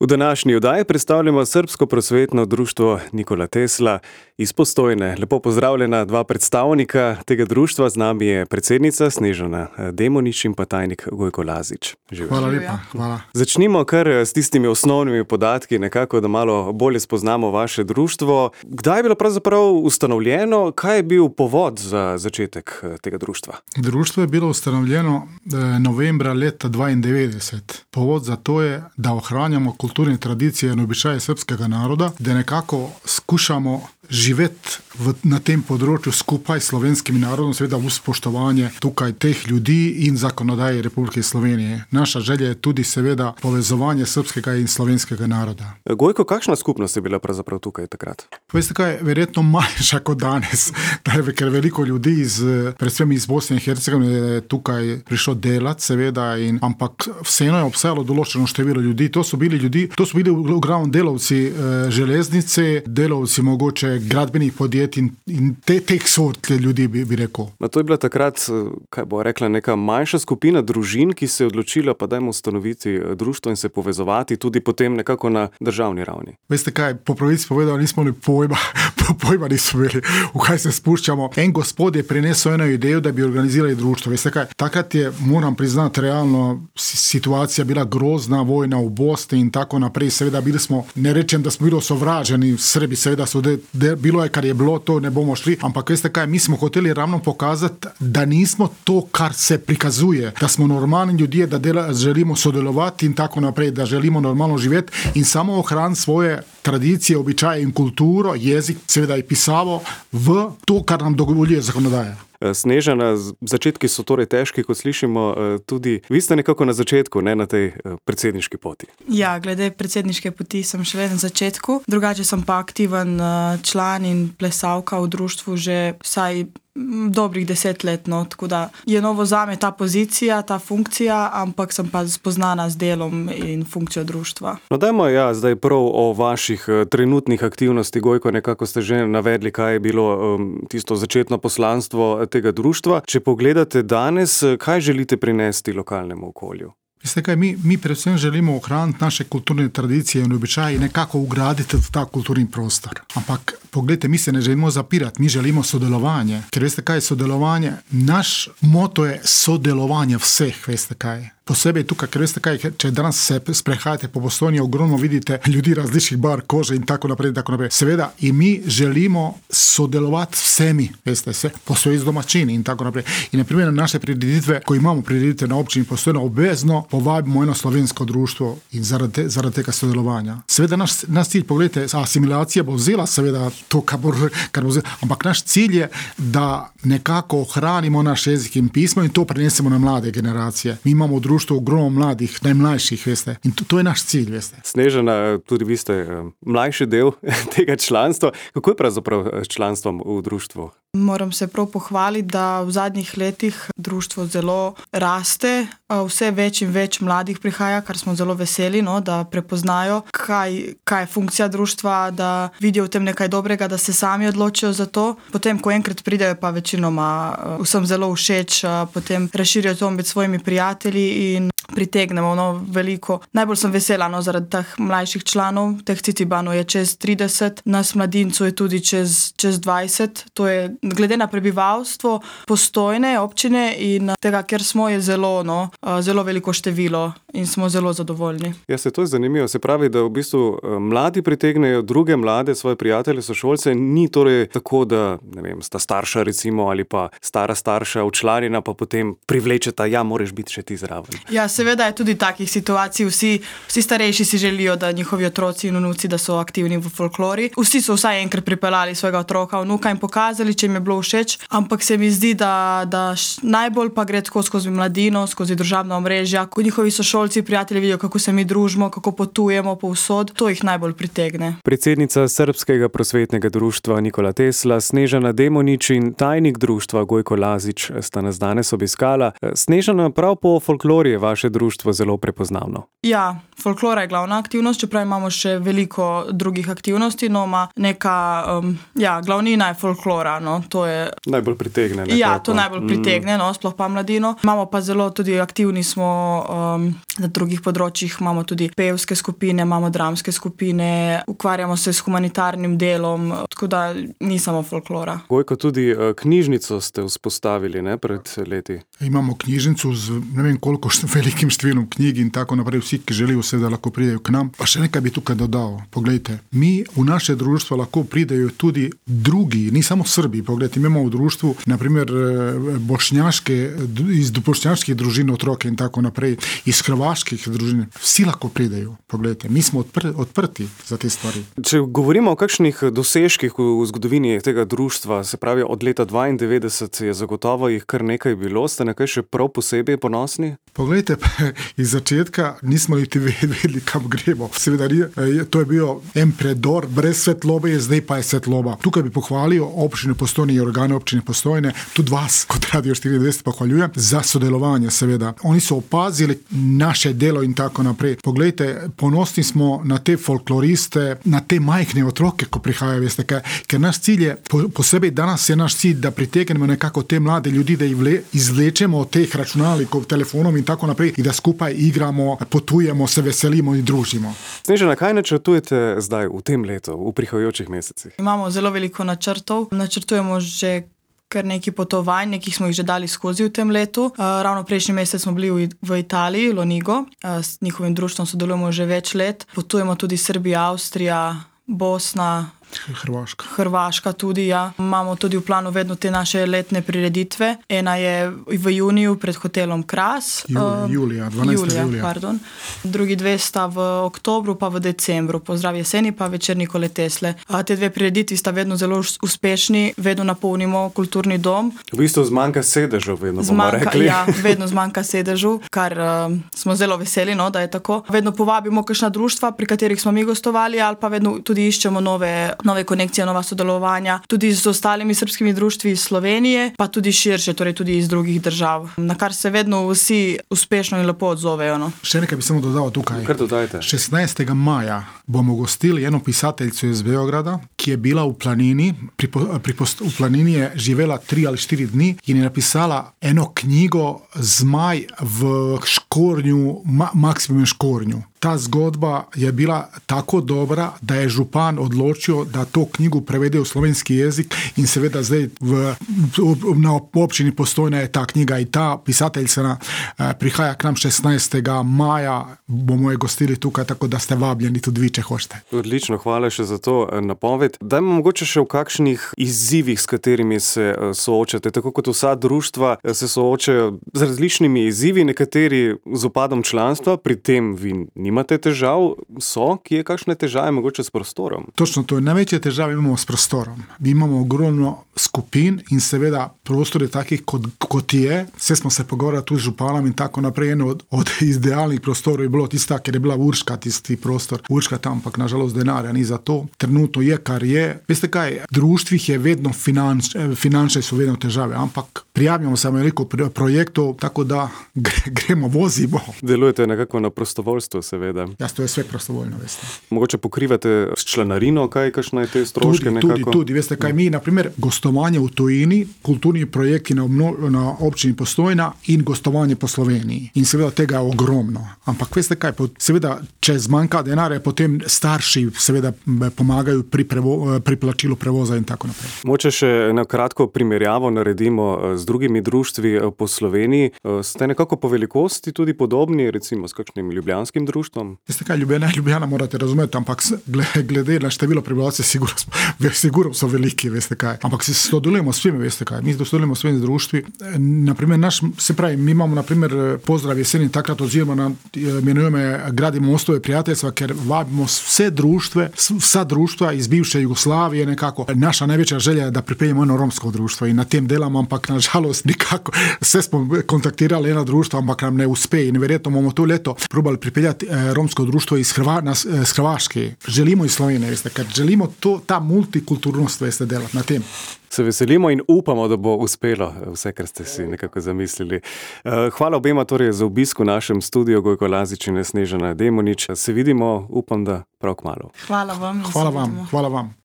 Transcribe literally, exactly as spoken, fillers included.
V današnji oddaji predstavljamo Srbsko prosvetno društvo Nikola Tesla iz Postojne. Lepo pozdravljena dva predstavnika tega društva. Z nami je predsednica Snežana Demonič in pa tajnik Gojko Lazič. Živjo. Hvala lepa. Hvala. Začnimo kar s tistimi osnovnimi podatki, nekako, da malo bolje spoznamo vaše društvo. Kdaj je bilo pravzaprav ustanovljeno? Kaj je bil povod za začetek tega društva? Društvo je bilo ustanovljeno novembra leta dvaindevetdeset. Povod za to je, da ohranjamo kulturne tradicije in običaje srpskega naroda, da nekako skušamo živeti v, na tem področju skupaj s slovenskim narodom, seveda v spoštovanje tukaj teh ljudi in zakonodaje Republike Slovenije. Naša želja je tudi seveda povezovanje srpskega in slovenskega naroda. Gojko, kakšna skupnost je bila pravzaprav tukaj takrat? Veste kaj, verjetno manjša kot danes, ker veliko ljudi iz, predvsem iz Bosne in Hercegovine je tukaj prišlo delati, seveda, in, ampak vseeno je obstajalo določeno število ljudi. To so bili ljudi, to so bili v glavnem delavci eh, železnice, delavci mogoče gradbenih podjetij in, in te, teh sort ljudi, bi, bi rekel. No, to je bila takrat, kaj bo rekla, neka manjša skupina družin, ki se je odločila, pa dajmo ustanoviti društvo in se povezovati tudi potem nekako na državni ravni. Veste kaj, po pravici povedal, nismo ni pojma, pojma nismo imeli, v kaj se spuščamo. En gospod je prinesel eno idejo, da bi organizirali društvo. Veste kaj, takrat je, moram priznati, realno situacija bila grozna, vojna v Bosni in tako naprej. Seveda bili smo, ne rečem, da smo bili osovraženi, Srbi seveda so de, de, bilo je, kar je bilo, to ne bomo šli, ampak veste kaj, mi smo hoteli ravno pokazati, da nismo to, kar se prikazuje, da smo normalni ljudje, da dela, želimo sodelovati in tako naprej, da želimo normalno živeti in samo ohraniti svoje tradicije, običaje in kulturo, jezik, seveda je pisavo v to, kar nam dovoljuje zakonodaja. Snežana, začetki so torej težki, kot slišimo, tudi vi ste nekako na začetku, ne na tej predsedniški poti. Ja, glede predsedniške poti sem še vedno na začetku, drugače sem pa aktiven član in plesalka v društvu že vsaj dobrih deset let, no, tako da je novo zame ta pozicija, ta funkcija, ampak sem pa spoznana z delom in funkcijo društva. No, dajmo ja, zdaj prav o vaših trenutnih aktivnosti, Gojko, nekako ste že navedli, kaj je bilo um, tisto začetno poslanstvo tega društva. Če pogledate danes, kaj želite prinesti lokalnemu okolju? Veste kaj, mi, mi predvsem želimo ohraniti naše kulturne tradicije in običaje in nekako ugraditi v ta kulturni prostor. Ampak, pogledajte, mi se ne želimo zapirati, mi želimo sodelovanje. Ker veste kaj je sodelovanje? Naš moto je sodelovanje vseh, veste kaj. Posebej tukaj, ker veste kaj, če danes se sprehajate po Postojni, ogromno vidite ljudi različnih barv kože in tako naprej in tako naprej. Seveda, in mi želimo sodelovati vsemi, veste, se, posebej z domačini in tako naprej. In na primer na naše prireditve, ko imamo prireditve na občini Postojna, obvezno povabimo eno slovensko društvo in zaradi, zaradi tega sodelovanja. Seveda, naš, naš cilj, pogledajte, asimilacija bo vzela seveda to, kar bo, kar bo vzela, ampak naš cilj je, da nekako ohranimo naš jezik in pismo in to prenesemo na mlade generacije. Mi imamo društvo ogromno mladih, najmlajših, veste. In to, to je naš cilj, veste. Snežana, tudi vi ste mlajši del tega članstva. Kako je pravzaprav s članstvom v društvu? Moram se prav pohvaliti, da v zadnjih letih društvo zelo raste, vse več in več mladih prihaja, kar smo zelo veseli, no, da prepoznajo, kaj, kaj je funkcija društva, da vidijo v tem nekaj dobrega, da se sami odločijo za to. Potem, ko enkrat pridejo, pa večinoma vsem zelo všeč, potem razširijo to med svojimi prijatelji in pritegnemo no, veliko. Najbolj sem vesela no, zaradi teh mlajših članov, teh Cicibanov je čez trideset, nas mladincev je tudi čez, čez dvajset. To je glede na prebivalstvo Postojne občine in tega, ker smo je zelo, no, zelo veliko število in smo zelo zadovoljni. Ja, se to je zanimivo. Se pravi, da v bistvu mladi pritegnejo druge mlade, svoje prijatelje, sošolce. Ni torej tako, da ne vem, sta starša recimo ali pa stara starša včlanjena, pa potem privlečeta, ja, moraš biti še ti zraven. Ja, seveda je tudi takih situacij. Vsi, vsi starejši si želijo, da njihovi otroci in vnuci, da so aktivni v folklori. Vsi so vsaj enkrat pripeljali svojega otroka, vnuka in pokazali, če jim je bilo všeč. Ampak se mi zdi, da, da najbolj pa gre tako skozi mladino, skozi družabna omrežja, ko njihovi sošolci, prijatelji vidijo, kako se mi družimo, kako potujemo povsod. To jih najbolj pritegne. Predsednica Srbskega prosvetnega društva Nikola Tesla, Snežana Demonič in tajnik društva Gojko Lazič sta nas danes obiskala. Snežana, prav po folklori je vaše društvo zelo prepoznavno. Ja, folklora je glavna aktivnost, čeprav imamo še veliko drugih aktivnosti, no ima neka, um, ja, glavnina je folklora, no, to je... Najbolj pritegne. Nekako. Ja, to najbolj pritegne, no, sploh pa mladino. Imamo pa zelo tudi aktivni smo um, na drugih področjih, imamo tudi pevske skupine, imamo dramske skupine, ukvarjamo se s humanitarnim delom, tako da ni samo folklora. Gojko, tudi uh, knjižnico ste vzpostavili, ne, pred leti. Imamo knjižnico z ne vem koliko velikim številom knjig in tako naprej, vsi, ki želijo seveda lahko pridejo k nam. Pa še nekaj bi tukaj dodal. Poglejte, mi v naše društvo lahko pridejo tudi drugi, ni samo Srbi. Poglejte, imamo v društvu naprimer bošnjaške, iz bošnjaških družin otroke in tako naprej, iz hrvaških družin. Vsi lahko pridejo. Poglejte, mi smo odpr- odprti za te stvari. Če govorimo o kakšnih dosežkih v zgodovini tega društva, se pravi od leta dvaindevetdeset je zagotovo jih kar nekaj bilo, ste nekaj še prav posebej ponosni? Poglejte, iz začetka nismo niti vedeli, kam gremo. Seveda, to je bil en predor, brez svetlobe je, zdaj pa je svetloba. Tukaj bi pohvalil občine Postojne in organe občine Postojne, tudi vas, kot Radio štiriindvajset pohvaljujem, za sodelovanje, seveda. Oni so opazili naše delo in tako naprej. Poglejte, ponosni smo na te folkloriste, na te majhne otroke, ko prihajajo, veste, kaj, ker naš cilj je, po, posebej danes je naš cilj, da pritegnemo nekako te mlade ljudi, da jih vle, izvlečemo od teh računalnikov, telefonov in tako naprej, in da skupaj igramo, potujemo, se veselimo in družimo. Snežana, kaj načrtujete zdaj v tem letu, v prihajajočih mesecih? Imamo zelo veliko načrtov. Načrtujemo že kar nekaj potovanj, nekih smo jih že dali skozi v tem letu. Uh, ravno prejšnji mesec smo bili v, v Italiji, Lonigo. Uh, s njihovim društvom sodelujemo že več let. Potujemo tudi Srbija, Avstrija, Bosna, Hrvaška. Hrvaška tudi, ja. Imamo tudi v planu vedno te naše letne prireditve. Ena je v juniju pred hotelom Kras. Juli, uh, Julija, dvanajstega julija. Pardon. Drugi dve sta v oktobru pa v decembru. Pozdrav jeseni pa večer Nikole Tesle. A te dve prireditvi sta vedno zelo uspešni, vedno napolnimo kulturni dom. V bistvu zmanjka sedežev, vedno bomo zmanjka, rekli. Ja, vedno zmanjka sedežu, kar uh, smo zelo veseli, no, da je tako. Vedno povabimo kakšna društva, pri katerih smo mi gostovali, ali pa vedno tudi iščemo nove nove konekcije, nova sodelovanja, tudi z ostalimi srpskimi društvi iz Slovenije, pa tudi širše, torej tudi iz drugih držav, na kar se vedno vsi uspešno in lepo odzovejo. No. Še nekaj bi samo dodal tukaj. Kar dodajte. šestnajstega maja bomo gostili eno pisateljico iz Beograda, ki je bila v planini, pri, pri post, v planini je živela tri ali štiri dni in je napisala eno knjigo Zmaj v škornju, ma, Maksimum škornju. Ta zgodba je bila tako dobra, da je župan odločil, da to knjigo prevede v slovenski jezik in seveda zdaj v, v, na občini Postojna je ta knjiga in ta pisateljica eh, prihaja k nam šestnajstega maja, bomo je gostili tukaj, tako da ste vabljeni tudi vi, če hočete. Odlično, hvala še za to napoved. Dajmo mogoče še v kakšnih izzivih, s katerimi se soočate. Tako kot vsa društva se soočajo z različnimi izzivi, nekateri z upadom članstva, pri tem vi nimate težav, so, ki je kakšne težave mogoče s prostorom? Točno to, največje težave imamo s prostorom. Mi imamo ogromno skupin in seveda prostor je takih, kot, kot je. Vse smo se pogovarjali tu z županom in tako naprej. Eno od, od idealnih prostorov je bilo tista, ker je bila Urška, tisti prostor. Urška tam, ampak nažalost denarja ni za to. Trenutno je, kar je. Veste kaj, društvih je vedno finanč, finančne so vedno težave, ampak prijavljamo se veliko projektov, tako da gre, gremo, vozimo. Delujete nekako na prostovoljstvo, seveda. Ja, to je sve prostovoljno, veste. Mogoče pokrivate s članarino, kaj, kakšne je te stroške tudi, nekako? Tudi, tudi, veste kaj, mi, naprimer, gostovanje v tujini, kulturni projekti na, obno, na občini Postojna in gostovanje po Sloveniji. In seveda tega je ogromno. Ampak veste kaj, seveda, če zmanjka denarja, potem starši seveda pomagajo pri, prevo, pri plačilu prevoza in tako naprej. Moče še na kratko primerjavo naredimo z drugimi društvi po Sloveniji. Ste nekako po velikosti tudi podobni, recimo s kakšnim ljubljanskim društvom? Veste kaj, Ljubljana, Ljubljana morate razumeti, ampak glede na število prebivalcev sigurno, sigurno so veliki, veste kaj. Ampak se sodelujemo s svimi, veste kaj. Mi sodelujemo s svimi društvi. Naprimer, naš, se pravi, mi imamo naprimer pozdrav jeseni, takrat odzivamo na, imenujemo, gradimo mostove prijateljstva, ker vabimo vse društve, vsa društva iz bivše Jugoslavije nekako. Naša največja želja je, da pripeljemo eno romsko društvo in na tem delamo, ampak nažalost nikako. Vse smo kontaktirali eno društvo, ampak nam ne uspe in verjetno bomo to leto probali pripeljati eh, romsko društvo iz Hrva, nas, eh, Hrvaške. Želimo iz Slovenije, veste, ker želimo to, ta multikulturnost, veste, delati na tem. se veselimo in upamo, da bo uspelo vse, kar ste si nekako zamislili. Hvala obema torej za obisk v našem studiu, Gojko Lazič in Snežana Demonič. Se vidimo, upam, da prav kmalu. Hvala vam. Hvala vam, hvala vam.